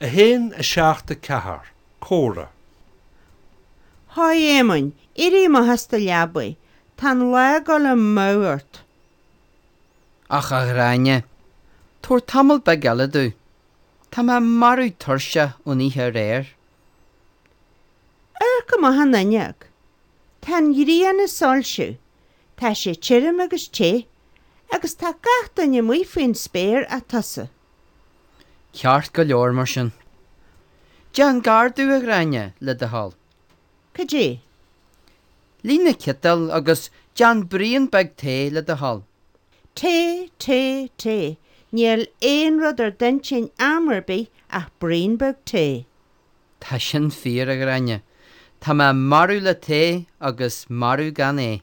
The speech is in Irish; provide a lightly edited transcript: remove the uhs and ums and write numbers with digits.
1, 7, 4, Comhrá. Haigh a Éamoinn, éirigh amach as do leabaidh, tá an lá ag dul amú ort. Ach a Ghráinne, tabhair tamall beag eile domh. Tá mé marbh tuirseach ón oíche aréir. Amharc amach an fhuinneog. Tá an ghrian ag soilsiú, tá sé tirim agus te, agus tá gach duine amuigh faoin spéir ach tusa. Ceart go leor mar sin. Déan gar domh, a Ghráinne, le do thoil. Cad é? Líon na ciotail agus déan braon beag tae le do thoil. Tae, tae, tae, níl aon rud ar d'intinn am ar bith ach braon beag tae. Tá sin fíor, a Ghráinne. Tá mé marbh le tae agus marbh gan é.